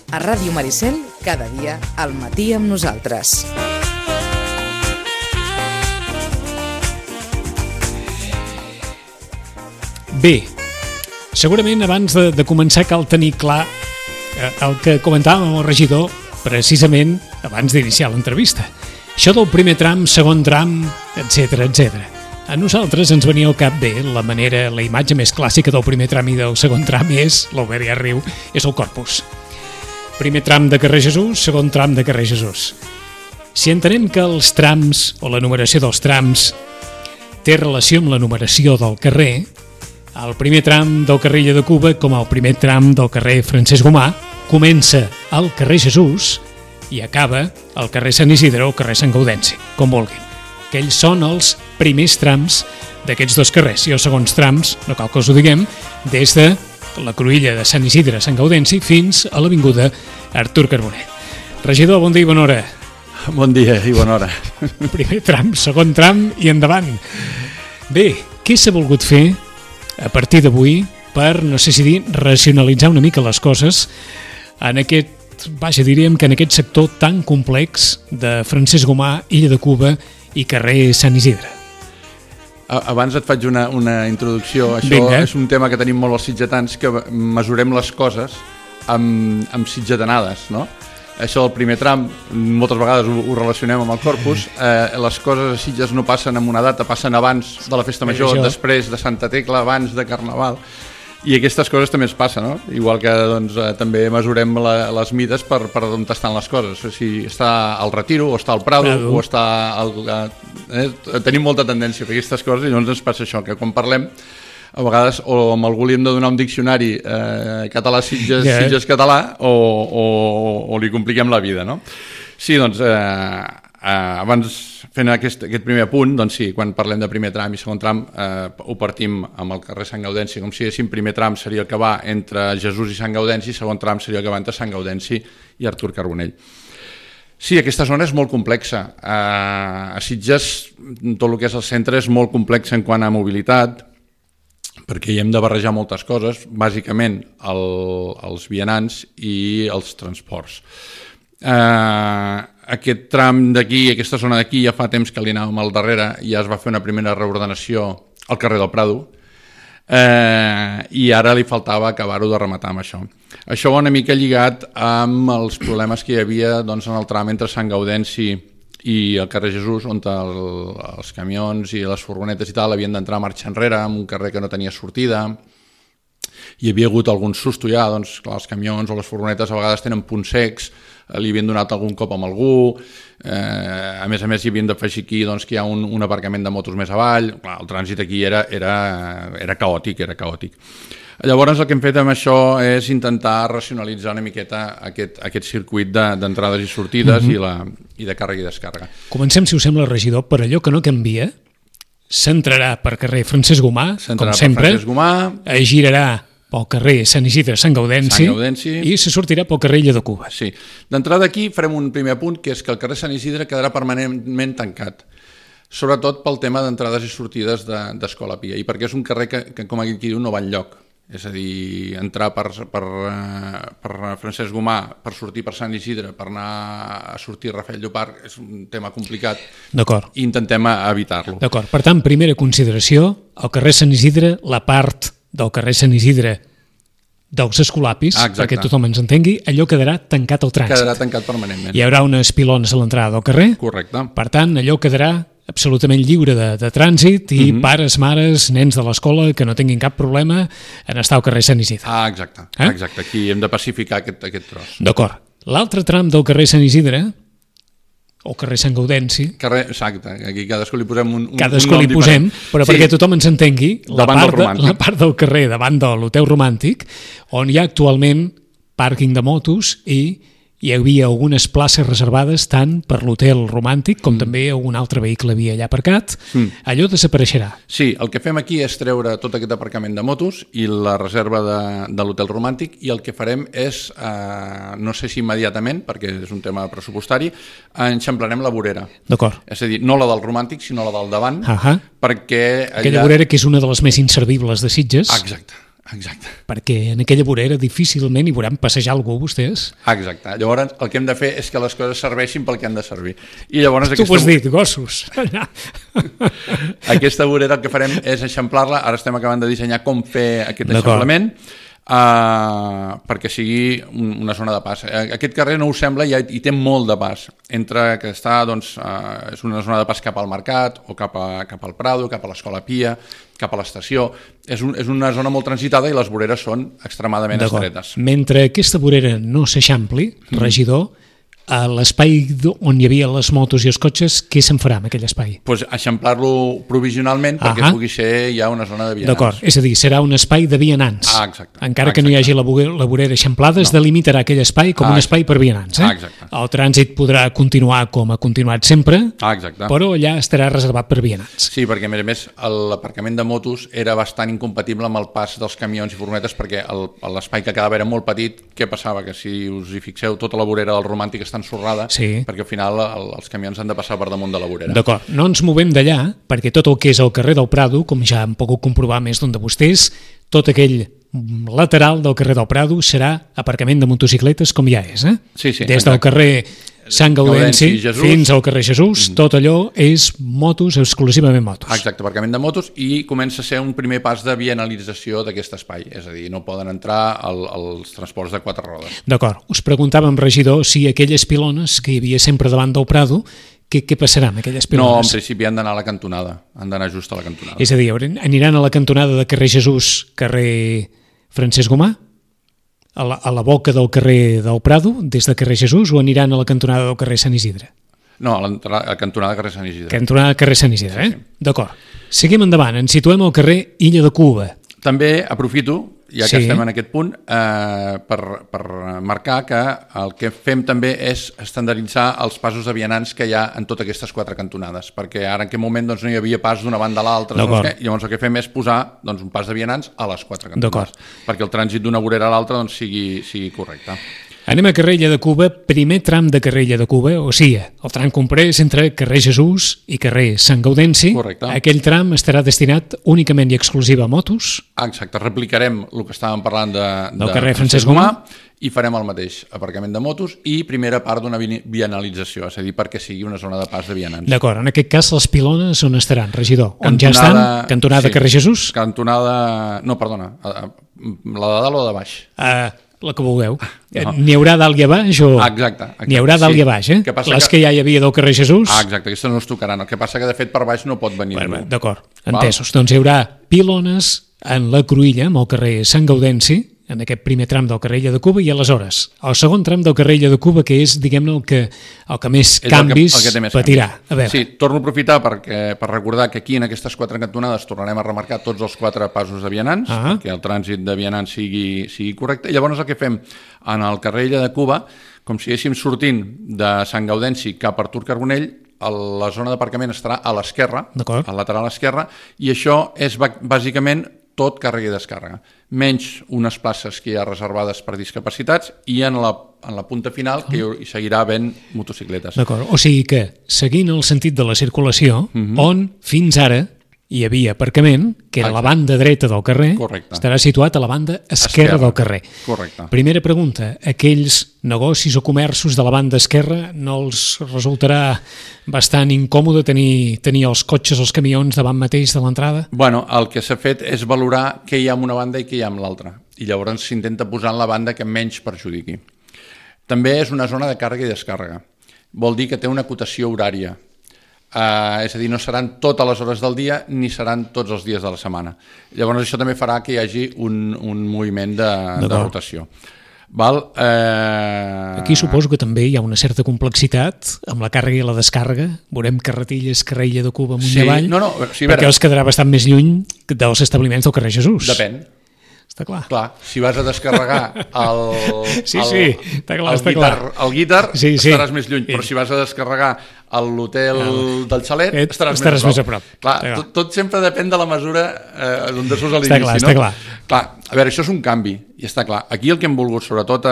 A Ràdio Maricel, cada dia al matí amb nosaltres. Bé, segurament abans de començar cal tenir clar el que comentàvem amb el regidor precisament abans d'iniciar l'entrevista. Això del primer tram, segon tram, etc. A nosaltres ens venia al cap bé la imatge més clàssica del primer tram i del segon tram és, l'Albert ja riu, és el Corpus. Primer tram de carrer Jesús, segon tram de carrer Jesús. Si entenem que els trams o la numeració dels trams té relació amb la numeració del carrer, el primer tram del carrer Illa de Cuba, com el primer tram del carrer Francesc Gomà, comença al carrer Jesús i acaba al carrer Sant Isidre o al carrer Sant Gaudenci, com vulguin. Aquells són els primers trams d'aquests dos carrers i els segons trams, no cal que us ho diguem, des de la cruïlla de Sant Isidre a Sant Gaudenci fins a l'avinguda Artur Carbonell. Regidor, bon dia i bona hora. Bon dia i bona hora. Primer tram, segon tram i endavant. Bé, què s'ha volgut fer a partir d'avui per, no sé si dir, racionalitzar una mica les coses en diríem que en aquest sector tan complex de Francesc Gomà, Illa de Cuba i carrer Sant Isidre? Abans et faig una introducció. Això Vinga. És un tema que tenim molt els sitgetans, que mesurem les coses amb sitgetanades, no? Això del primer tram, moltes vegades ho relacionem amb el Corpus. Les coses a Sitges no passen en una data, passen abans de la Festa Major, després de Santa Tecla, abans de Carnaval. I aquestes coses també es passen, no? Igual que també mesurem les mides per on estan les coses. Si està al Retiro, o està al Prado, o està tenim molta tendència a fer aquestes coses i llavors ens passa això, que quan parlem a vegades o amb algú li hem de donar un diccionari català-Sitges, Sitges-català, o li compliquem la vida, no? Sí, doncs, abans fent aquest primer apunt, doncs sí, quan parlem de primer tram i segon tram ho partim amb el carrer Sant Gaudenci, com si diguéssim, primer tram seria el que va entre Jesús i Sant Gaudenci, segon tram seria el que va entre Sant Gaudenci i Artur Carbonell. Sí, aquesta zona és molt complexa. A Sitges, tot el que és el centre és molt complex en quant a mobilitat, perquè hi hem de barrejar moltes coses, bàsicament els vianants i els transports. Aquest tram d'aquí, aquesta zona d'aquí, ja fa temps que li anàvem al darrere, ja es va fer una primera reordenació al carrer del Prado, i ara li faltava acabar-ho de rematar amb això. Això va una mica lligat amb els problemes que hi havia doncs, en el tram entre Sant Gaudenci i el carrer Jesús, on els camions i les furgonetes i tal havien d'entrar a marxa enrere, en un carrer que no tenia sortida. Hi havia hagut algun susto ja, doncs clar, els camions o les furgonetes a vegades tenen punts secs, li havien donat algun cop amb algú, a més hi havien d'afegir aquí doncs, que hi ha un aparcament de motos més avall. Clar, el trànsit aquí era caòtic, Llavors el que hem fet amb això és intentar racionalitzar una miqueta aquest circuit d'entrades i sortides i de càrrega i descàrrega. Comencem, si us sembla, regidor, per allò que no canvia, s'entrarà per carrer Francesc Gomà, com sempre, girarà pel carrer Sant Isidre, Sant Gaudenci, i se sortirà pel carrer Illa de Cuba. Sí. D'entrada aquí farem un primer apunt, que és que el carrer Sant Isidre quedarà permanentment tancat, sobretot pel tema d'entrades i sortides d'Escola Pia, i perquè és un carrer que com aquí diu, no va enlloc. És a dir, entrar per Francesc Gomà, per sortir per Sant Isidre, per anar a sortir a Rafel Llopart, és un tema complicat. D'acord. I intentem evitar-lo. D'acord. Per tant, primera consideració, el carrer Sant Isidre, la part del carrer Sant Isidre dels Escolapis, perquè tothom ens entengui, allò quedarà tancat al trànsit. Quedarà tancat permanentment. Hi haurà unes pilones a l'entrada del carrer. Correcte. Per tant, allò quedarà absolutament lliure de trànsit i pares, mares, nens de l'escola que no tinguin cap problema en estar al carrer Sant Isidre. Exacte. Aquí hem de pacificar aquest tros. D'acord. L'altre tram del carrer Sant Isidre, o carrer Sant Gaudenci... Exacte, aquí cadascú li posem un cadascú li posem, però perquè tothom ens entengui, la part del carrer davant de l'Hotel Romàntic, on hi ha actualment pàrquing de motos i hi havia algunes places reservades tant per l'Hotel Romàntic com també algun altre vehicle havia allà aparcat. Allò desapareixerà. Sí, el que fem aquí és treure tot aquest aparcament de motos i la reserva de l'Hotel Romàntic, i el que farem és, no sé si immediatament, perquè és un tema pressupostari, enxamplarem la vorera. D'acord. És a dir, no la del Romàntic, sinó la del davant, perquè allà... Aquella vorera que és una de les més inservibles de Sitges. Exacte. Exacte. Perquè en aquella vorera difícilment hi veuran passejar algú, vostès. Exacte. Llavors, el que hem de fer és que les coses serveixin pel que han de servir. I llavors Tu ho has dit, gossos. Aquesta vorera el que farem és eixamplar-la. Ara estem acabant de dissenyar com fer aquest eixamplament perquè sigui una zona de pas. Aquest carrer no us sembla, hi té molt de pas. Entre que està, doncs, és una zona de pas cap al Mercat o cap al Prado, cap a l'Escola Pia, cap a l'estació. És una zona molt transitada i les voreres són extremadament estretes. Mentre aquesta vorera no s'eixampli, regidor, a l'espai on hi havia les motos i els cotxes, què se'n farà amb aquell espai? Pues eixamplar-lo provisionalment perquè pugui ser ja una zona de vianants. D'acord, és a dir, serà un espai de vianants. Exacte. Encara que no hi hagi la vorera eixamplada, es delimitarà aquell espai com un espai per vianants. Exacte. El trànsit podrà continuar com ha continuat sempre, però allà estarà reservat per vianants. Sí, perquè a més l'aparcament de motos era bastant incompatible amb el pas dels camions i furgonetes perquè l'espai que quedava era molt petit. Què passava? Que si us hi fixeu, tota la vorera del Romàntic està ensorrada, perquè al final els camions han de passar per damunt de la vorera. D'acord, no ens movem d'allà, perquè tot el que és el carrer del Prado, com ja hem pogut comprovar més d'un de vostès, tot aquell lateral del carrer del Prado serà aparcament de motocicletes com ja és, Sí, des del carrer Sant Gaudenci fins al carrer Jesús, tot allò és motos, exclusivament motos. Exacte, aparcament de motos, i comença a ser un primer pas de vianalització d'aquest espai, és a dir, no poden entrar els transports de 4 rodes. D'acord, us preguntàvem, regidor, si aquelles pilones que hi havia sempre davant del Prado, què passarà amb aquelles pilones? No, en principi han d'anar a la cantonada, han d'anar just a la cantonada. És a dir, aniran a la cantonada de carrer Jesús, carrer Francesc Gomà? A la boca del carrer del Prado, des de carrer Jesús, o aniran a la cantonada del carrer Sant Isidre? No, a la cantonada de carrer Sant Isidre. Cantonada de carrer Sant Isidre, sí. D'acord. Seguim endavant, ens situem al carrer Illa de Cuba. També aprofito, ja que estem en aquest punt, per marcar que el que fem també és estandarditzar els passos de vianants que hi ha en totes aquestes 4 cantonades, perquè ara en aquest moment no hi havia pas d'una banda a l'altra, llavors el que fem és posar un pas de vianants a les 4 cantonades, perquè el trànsit d'una vorera a l'altra sigui correcte. Anem a carrer Illa de Cuba, primer tram de carrer Illa de Cuba, o sigui, el tram comprès entre carrer Jesús i carrer Sant Gaudenci. Correcte. Aquell tram estarà destinat únicament i exclusiva a motos. Exacte, replicarem el que estàvem parlant del carrer Francesc Gomà i farem el mateix, aparcament de motos i primera part d'una vianalització, és a dir, perquè sigui una zona de pas de vianants. D'acord, en aquest cas les pilones on estaran, regidor? On ja estan? Cantonada carrer Jesús? Cantonada... No, perdona, la de dalt o de baix? La que vulgueu. No. N'hi haurà dalt i a baix? O... Exacte. N'hi haurà dalt i a baix, Les que ja hi havia del carrer Jesús? Exacte, aquestes no es tocaran. El que passa que, de fet, per baix no pot venir. D'acord, entesos. Doncs hi haurà pilones en la cruïlla, amb el carrer Sant Gaudenci, en aquest primer tram del carrer Illa de Cuba, i aleshores el segon tram del carrer Illa de Cuba, que és, diguem-ne, el que més canvis patirà. Sí, torno a aprofitar per recordar que aquí en aquestes 4 cantonades tornarem a remarcar tots els 4 passos de vianants, perquè el trànsit de vianants sigui correcte. I llavors el que fem en el carrer Illa de Cuba, com si estiguéssim sortint de Sant Gaudenci cap a Artur Carbonell, la zona d'aparcament estarà a l'esquerra, al lateral esquerra, i això és bàsicament tot càrrega i descàrrega, menys unes places que hi ha reservades per discapacitats i en la punta final que hi seguirà havent motocicletes. D'acord, o sigui que, seguint el sentit de la circulació, on fins ara hi havia aparcament, que era la banda dreta del carrer, estarà situat a la banda esquerra del carrer. Correcte. Primera pregunta, aquells negocis o comerços de la banda esquerra no els resultarà bastant incòmode tenir els cotxes, els camions davant mateix de l'entrada? Bueno, el que s'ha fet és valorar què hi ha en una banda i què hi ha en l'altra, i llavors s'intenta posar en la banda que menys perjudiqui. També és una zona de càrrega i descàrrega. Vol dir que té una acotació horària. És a dir, no seran totes les hores del dia ni seran tots els dies de la setmana. Llavors això també farà que hi hagi un moviment de rotació. Aquí suposo que també hi ha una certa complexitat amb la càrrega i la descàrrega. Veurem carretilles, carrer Illa de Cuba amunt i avall, perquè els quedarà bastant més lluny dels establiments del carrer Jesús. Depèn. Està clar. Clar, si vas a descarregar el guitar, estaràs més lluny, però si vas a descarregar l'hotel del xalet, estaràs més a prop. Clar, tot sempre depèn de la mesura on surts a l'inici. Està clar. Clar, a veure, això és un canvi, i està clar. Aquí el que hem volgut sobretot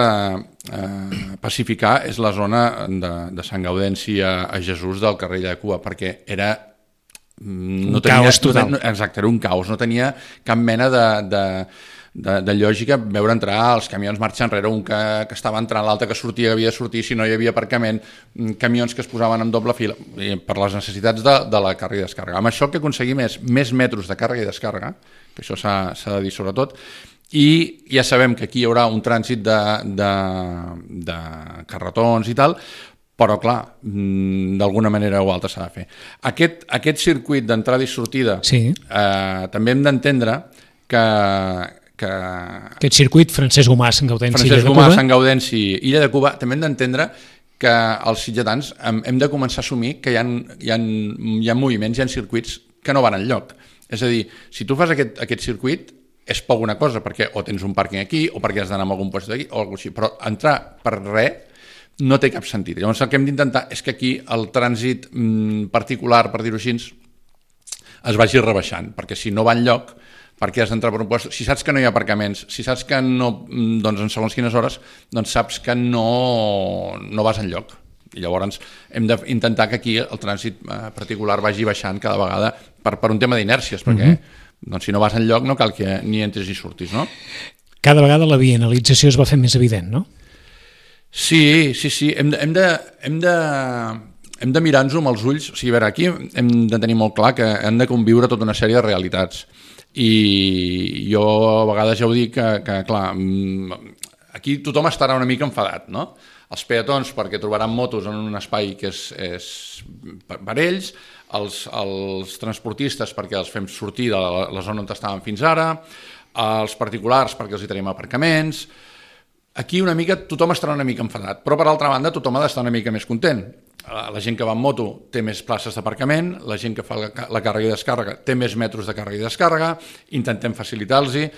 pacificar és la zona de Sant Gaudenci a Jesús del carrer de Cuba, perquè era un caos total. Exacte, era un caos, no tenia cap mena de lògica veure entrar els camions marxa enrere, un que estava entrant, l'altre que sortia, que havia de sortir, si no hi havia aparcament, camions que es posaven en doble fila, per les necessitats de la càrrega i descàrrega. Amb això el que aconseguim és més metres de càrrega i descàrrega, que això s'ha de dir sobretot, i ja sabem que aquí hi haurà un trànsit de carretons i tal, però clar, d'alguna manera o altra s'ha de fer. Aquest circuit d'entrada i sortida també hem d'entendre que aquest circuit Francesc Gomà, Sant Gaudenci, Illa de Cuba, també hem d'entendre que els sitgetans hem de començar a assumir que hi ha moviments, hi ha circuits que no van enlloc. És a dir, si tu fas aquest circuit és poc una cosa, perquè o tens un pàrquing aquí o perquè has d'anar a algun lloc d'aquí o alguna cosa així, però entrar per res no té cap sentit. Llavors el que hem d'intentar és que aquí el trànsit particular, per dir-ho així, es vagi rebaixant, perquè si no va enlloc, perquè has d'entrar per un lloc, si saps que no hi ha aparcaments, si saps que no, doncs en segons quines hores, doncs saps que no vas enlloc. I llavors hem d'intentar que aquí el trànsit particular vagi baixant cada vegada per un tema d'inèrcies, perquè doncs, si no vas enlloc no cal que ni entres ni surtis, no? Cada vegada la vianalització es va fer més evident, no? Sí. Hem de mirar-nos-ho amb els ulls. O sigui, a veure, aquí hem de tenir molt clar que hem de conviure tota una sèrie de realitats. I jo a vegades ja ho dic que clar, aquí tothom estarà una mica enfadat, no? Els peatons perquè trobaran motos en un espai que és per ells, els transportistes perquè els fem sortir de la zona on estaven fins ara, els particulars perquè els hi tenim aparcaments. Aquí una mica tothom estarà una mica enfadat, però per altra banda tothom ha d'estar una mica més content. La gent que va en moto té més places d'aparcament, la gent que fa la càrrega i descàrrega té més metres de càrrega i descàrrega, intentem facilitar-los-hi.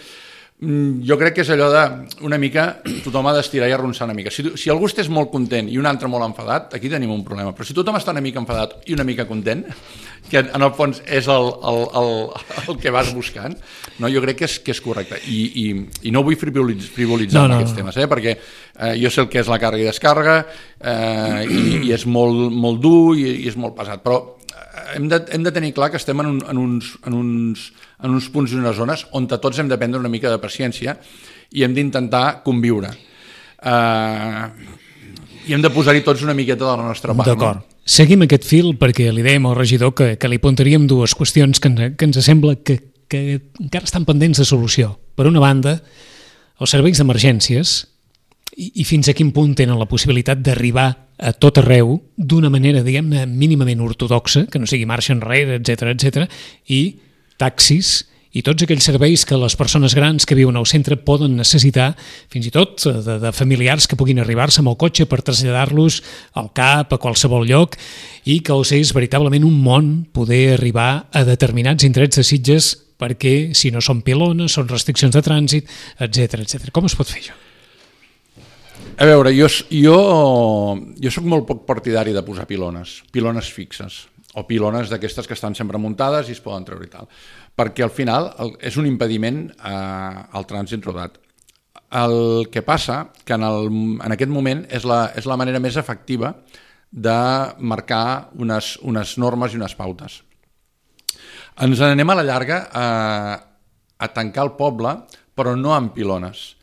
Jo crec que és allò de una mica, tothom ha d'estirar i arronsar una mica. Si algú estàs molt content i un altre molt enfadat, aquí tenim un problema. Però si tothom està una mica enfadat i una mica content, que en el fons és el que vas buscant, no? Jo crec que és correcte. I no vull frivolitzar amb aquests temes, perquè jo sé el que és la càrrega i descàrrega i és molt dur i és molt pesat, però hem de tenir clar que estem en uns punts i unes zones on tots hem de prendre una mica de paciència i hem d'intentar conviure. I hem de posar-hi tots una miqueta de la nostra part. D'acord. No? Seguim aquest fil perquè li dèiem al regidor que li apuntaríem dues qüestions que ens sembla que encara estan pendents de solució. Per una banda, els serveis d'emergències i fins a quin punt tenen la possibilitat d'arribar a tot arreu d'una manera, diguem-ne, mínimament ortodoxa, que no sigui marxa enrere, etc, i taxis i tots aquells serveis que les persones grans que viuen al centre poden necessitar, fins i tot de familiars que puguin arribar-se amb el cotxe per traslladar-los al CAP, a qualsevol lloc, i que els és veritablement un món poder arribar a determinats indrets de Sitges perquè, si no són pilones, són restriccions de trànsit, etc. Com es pot fer això? A veure, jo soc molt poc partidari de posar pilones fixes, o pilones d'aquestes que estan sempre muntades i es poden treure i tal, perquè al final és un impediment al trànsit rodat. El que passa que en aquest moment és la manera més efectiva de marcar unes normes i unes pautes. Ens anem a la llarga a tancar el poble, però no amb pilones.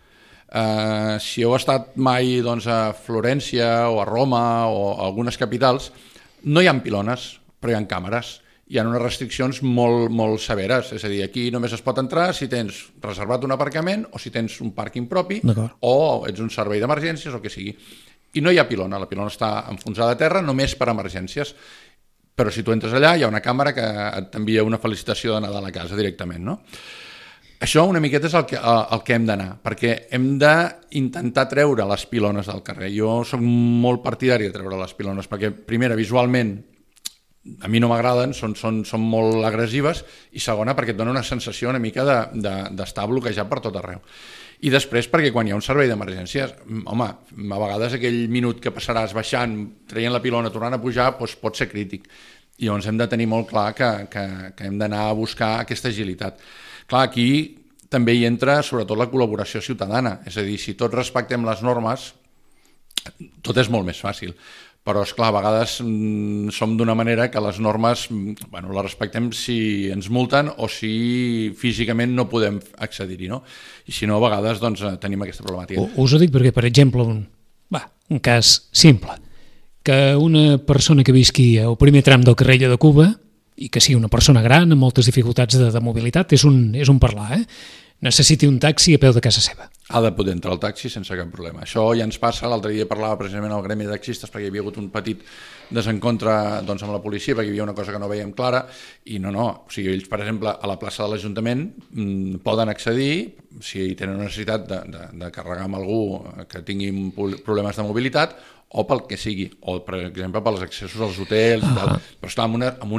Si heu estat mai a Florència o a Roma o a algunes capitals, no hi ha pilones, però hi ha càmeres. Hi ha unes restriccions molt severes, és a dir, aquí només es pot entrar si tens reservat un aparcament o si tens un pàrquing propi o ets un servei d'emergències o el que sigui. I no hi ha pilona, la pilona està enfonsada a terra només per emergències, però si tu entres allà hi ha una càmera que t'envia una felicitació de Nadal a casa directament, no? Això una miqueta és el que hem d'anar, perquè hem d'intentar treure les pilones del carrer. Jo soc molt partidari de treure les pilones, perquè, primera, visualment, a mi no m'agraden, són molt agressives, i segona, perquè et dona una sensació una mica d'estar bloquejat per tot arreu. I després, perquè quan hi ha un servei d'emergències, home, a vegades aquell minut que passaràs baixant, traient la pilona, tornant a pujar, doncs pot ser crític. I llavors hem de tenir molt clar que hem d'anar a buscar aquesta agilitat. Clar, aquí també hi entra sobretot la col·laboració ciutadana, és a dir, si tots respectem les normes, tot és molt més fàcil. però esclar, a vegades som d'una manera que les normes les respectem si ens multen o si físicament no podem accedir-hi, no? I si no, a vegades tenim aquesta problemàtica. Us ho dic perquè, per exemple, un cas simple, que una persona que visqui al primer tram del carrer de Cuba i que sigui una persona gran amb moltes dificultats de mobilitat, és un parlar, necessiti un taxi a peu de casa seva. Ha de poder entrar al taxi sense cap problema. Això ja ens passa, l'altre dia parlava precisament al gremi de taxistes perquè hi havia hagut un petit desencontre amb la policia perquè hi havia una cosa que no veiem clara i no, o sigui, ells, per exemple, a la plaça de l'Ajuntament poden accedir si tenen necessitat de carregar amb algú que tingui problemes de mobilitat o pel que sigui, o per exemple pels accessos als hotels i tal, però estar amb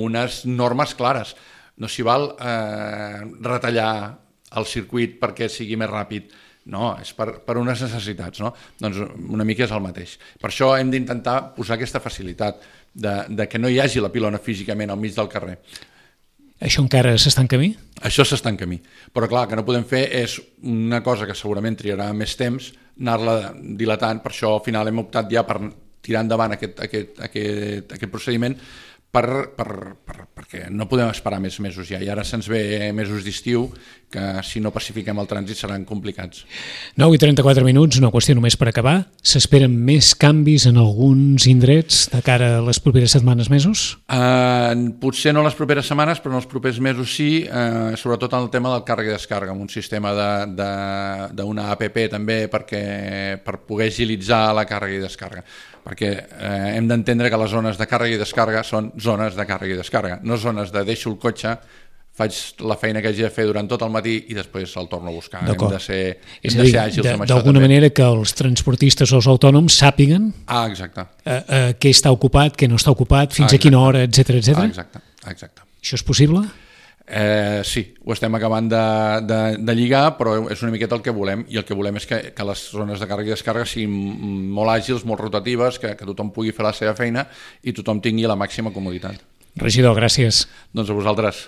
unes normes clares. No s'hi val retallar el circuit perquè sigui més ràpid, no, és per unes necessitats, no? Doncs una mica és el mateix. Per això hem d'intentar posar aquesta facilitat de que no hi hagi la pilona físicament al mig del carrer. Això encara s'està en camí? Això s'està en camí, però clar, el que no podem fer és una cosa que segurament triarà més temps, anar-la dilatant, per això al final hem optat ja per tirar endavant aquest procediment perquè no podem esperar més mesos ja, i ara se'ns ve mesos d'estiu que si no pacifiquem el trànsit seran complicats. 9:34, una qüestió només per acabar. S'esperen més canvis en alguns indrets de cara a les properes setmanes, mesos? Potser no les properes setmanes, però en els propers mesos sí, sobretot en el tema del càrrega i descàrrega, amb un sistema d'una app també per poder agilitzar la càrrega i descàrrega, perquè hem d'entendre que les zones de càrrega i descàrrega són zones de càrrega i descàrrega, no zones de deixo el cotxe, faig la feina que hagi de fer durant tot el matí i després el torno a buscar. Hem de ser àgils amb això. D'alguna manera que els transportistes o els autònoms sàpiguen què està ocupat, què no està ocupat, fins a quina hora, etc. Exacte. Això és possible? Sí, ho estem acabant de lligar, però és una miqueta el que volem, i el que volem és que les zones de càrrega i descàrrega siguin molt àgils, molt rotatives, que tothom pugui fer la seva feina i tothom tingui la màxima comoditat. Regidor, gràcies. Doncs a vosaltres.